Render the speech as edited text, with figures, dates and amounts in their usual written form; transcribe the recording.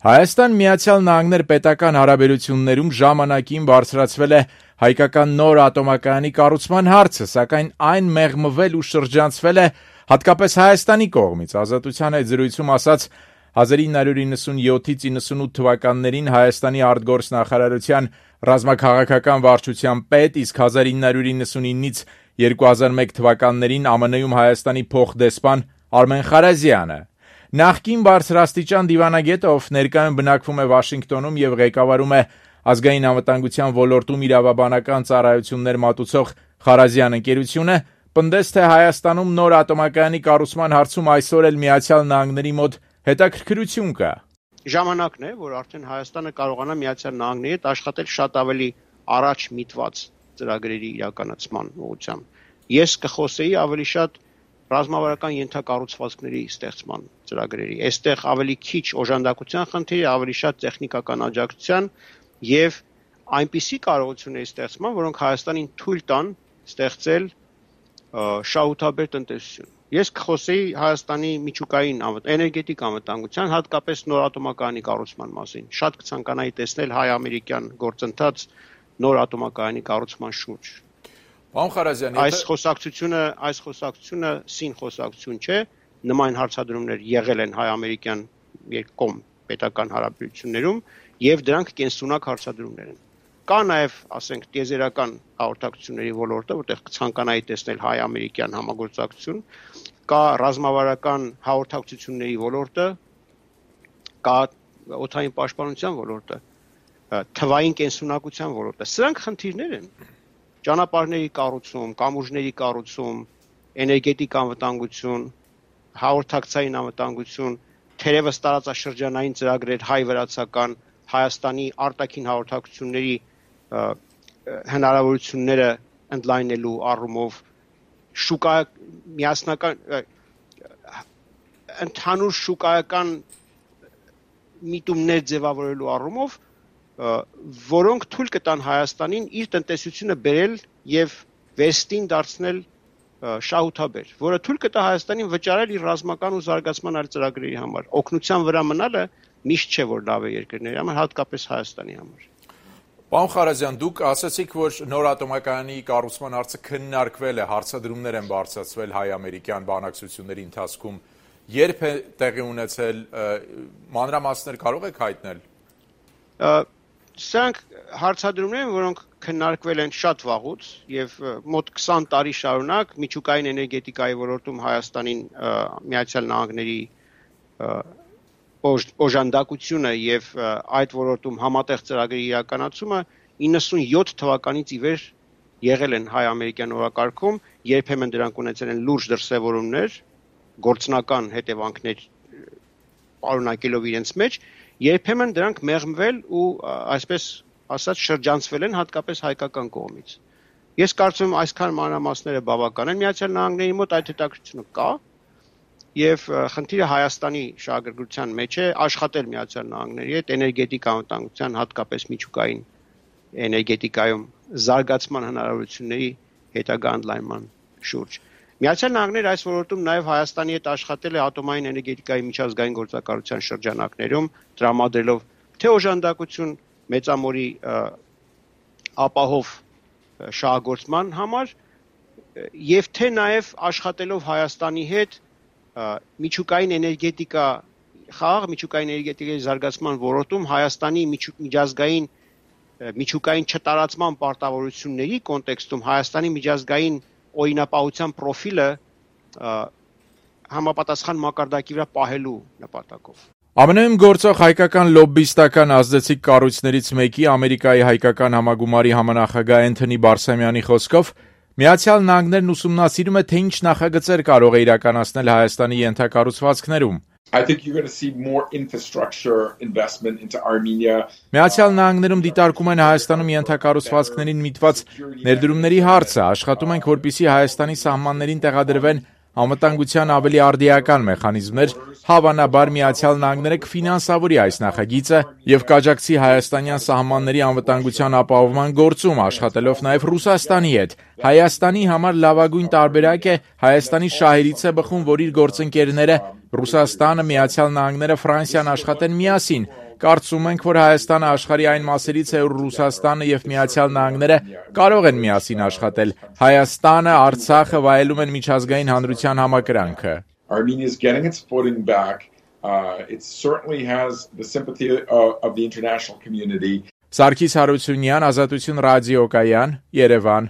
Հայաստան-Միացյալ Նահանգներ պետական հարաբերություններում ժամանակին բարձրացվել է հայկական նոր ատոմակայանի կառուցման հարցը, սակայն այն մեղմվել ու շրջանցվել է հատկապես Հայաստանի կողմից։ Ազատության հետ զրույցում ասաց 1997-98 թվականներին Հայաստանի արտգործնախարարության ռազմաքաղաքական վարչության պետ, իսկ 1999-ից 2001 թվականներին ԱՄՆ-ում Հայաստանի փոխդեսպան Արմեն Խարազյանը։ Նախկին բարձրաստիճան դիվանագետը, ով ներկայում բնակվում է Վաշինգտոնում եւ ղեկավարում է ազգային անվտանգության ոլորտում իրավաբանական ծառայություններ մատուցող Խարազյան ընկերությունը, պնդեց, թե Հայաստանում նոր ատոմակայանի կառուցման հարցում այսօր էլ Միացյալ Նահանգների մոտ հետաքրքրություն կա։ Ժամանակն է, որ արդեն Հայաստանը կարողանա Միացյալ Նահանգների հետ աշխատել շատ ավելի առաջ միտված ծրագրերի իրականացման ուղղությամբ։ Ես կխոսեի ավելի շատ ռազմավարական ենթակառուցվածքների ստեղծման ծրագրերի։ Այստեղ ավելի քիչ օժանդակության խնդիր է, ավելի շատ տեխնիկական աջակցության եւ այնպիսի կարողությունների ստեղծման, որոնք Հայաստանին թույլ տան ստեղծել շահութաբեր տնտեսություն։ Ես կխոսեի Հայաստանի միջուկային էներգետիկ անվտանգության, հատկապես նոր ատոմակայանի կառուցման մասին։ Շատ կցանկանայի տեսնել հայ-ամերիկյան գործընթաց նոր ատոմակայանի կառուցման շուրջ։ Պարոն Խարազյան, այս խոսակցությունը սին խոսակցություն չէ, նման հարցադրումներ եղել են հայ-ամերիկյան երկկողմ պետական հարաբերություններում եւ դրանք կենսունակ հարցադրումներ են։ Կա նաեւ, ասենք, տիեզերական հաղորդակցությունների ոլորտը, որտեղ կցանկանայի տեսնել հայ-ամերիկյան համագործակցություն, կա ռազմավարական հաղորդակցությունների ոլորտը, կա օդային պաշտպանության ոլորտը, թվային կենսունակության ոլորտը։ Սրանք խնդիրներ են։ Ճանապարհների կառուցում, կամուրջների կառուցում, էներգետիկ անվտանգություն, հաղորդակցային անվտանգություն, թերևս տարածաշրջանային ծրագրեր հայ-վրացական, Հայաստանի արտաքին հաղորդակցությունների հնարավորությունները ընդլայնելու առումով, ընդհանուր շուկայական միտումներ ձևավորելու առումով, որոնք թույլ կտան Հայաստանին իր տնտեսությունը բերել եւ վերստին դարձնել շահութաբեր, որը թույլ կտա Հայաստանին վճարել իր ռազմական ու զարգացման այլ ծրագրերի համար։ Օգնության վրա մնալը միշտ չէ, որ լավ է երկրների համար, հատկապես Հայաստանի համար։ Պարոն Խարազյան, դուք ասացիք, որ նոր ատոմակայանի կառուցման հարցը քննարկվել է, հարցադրումներ են բարձրացվել հայ-ամերիկյան բանակցությունների ընթացքում։ Երբ է տեղի ունեցել, մանրամասներ կարող եք հայտնել։ Սրանք հարցադրումներ են, որոնք քննարկվել են շատ վաղուց եւ մոտ 20 տարի շարունակ միջուկային էներգետիկայի ոլորտում Հայաստանին Միացյալ Նահանգների օժանդակությունը եւ այդ ոլորտում համատեղ ծրագրերի իրականացումը 97 թվականից ի վեր եղել են հայ-ամերիկյան օրակարգում, երբեմն դրանք ունեցել են լուրջ դրսևորումներ, գործնական հետևանքներ պարունակելով իրենց մեջ, երբեմն դրանք մեղմվել ու այսպես ասած շրջանցվել են հատկապես հայկական կողմից։ Ես կարծում եմ այսքան մանրամասները բավական են Միացյալ Նահանգների մոտ այդ հետաքրքրությունը կա եւ խնդիրը Հայաստանի շահագրգռության մեջ է աշխատել Միացյալ Նահանգների հետ էներգետիկ անվտանգության, հատկապես միջուկային էներգետիկայում զարգացման հնարավորությունների հետագա ընդլայնման շուրջ։ Միացյալ Նահանգները այս ոլորտում նաև Հայաստանի հետ աշխատել է ատոմային էներգետիկայի միջազգային գործակալության շրջանակներում, տրամադրելով թե օժանդակություն մեծամորի ապահով շահագործման համար եւ թե նաև աշխատելով Հայաստանի հետ միջուկային էներգետիկա միջուկային էներգետիկայի զարգացման ոլորտում Հայաստանի միջազգային միջուկային չտարածման պարտավորությունների կոնտեքստում Հայաստանի միջազգային օրինապահության պրոֆիլը համապատասխան մակարդակի վրա պահելու նպատակով։ ԱՄՆ-ում գործող հայկական լոբբիստական ազդեցիկ կառույցներից մեկի Ամերիկայի հայկական համագումարի համանախագահ Էնթոնի Բարսամյանի խոսքով Միացյալ Նահանգներն ուսումնասիրում է, թե ինչ նախագծեր կարող է իրականացնել Հայաստանի ենթակառուցվածքներում։ I think you're going to see more infrastructure investment into Armenia. Միացյալ Նահանգներում դիտարկում են Հայաստանում ենթակառուցվածքներին միտված ներդրումների հարցը, աշխատում ենք, որպեսզի Հայաստանի սահմաններին տեղադրվեն անվտանգության ավելի արդիական մեխանիզմներ, հավանաբար Միացյալ Նահանգները կֆինանսավորի այս նախագիծը եւ կաջակցի հայաստանյան սահմանների անվտանգության ապահովման գործում, աշխատելով նաեւ Ռուսաստանի հետ։ Հայաստանի համար լավագույն տարբերակ է Հայաստանի շահերից է բխում, որ իր գործընկերները Ռուսաստանը, Միացյալ Նահանգները, Ֆրանսիան աշխատեն միասին Կարծում ենք, որ Հայաստանը աշխարհի այն մասերից է, որ Ռուսաստանը եւ Միացյալ Նահանգները կարող են միասին աշխատել։ Հայաստանը, Արցախը վայելում են միջազգային հանրության համակրանքը։ Armenia is getting its footing back. It certainly has the sympathy of the international community. Սարգիս Հարությունյան, Ազատություն ռադիոկայան, Երևան։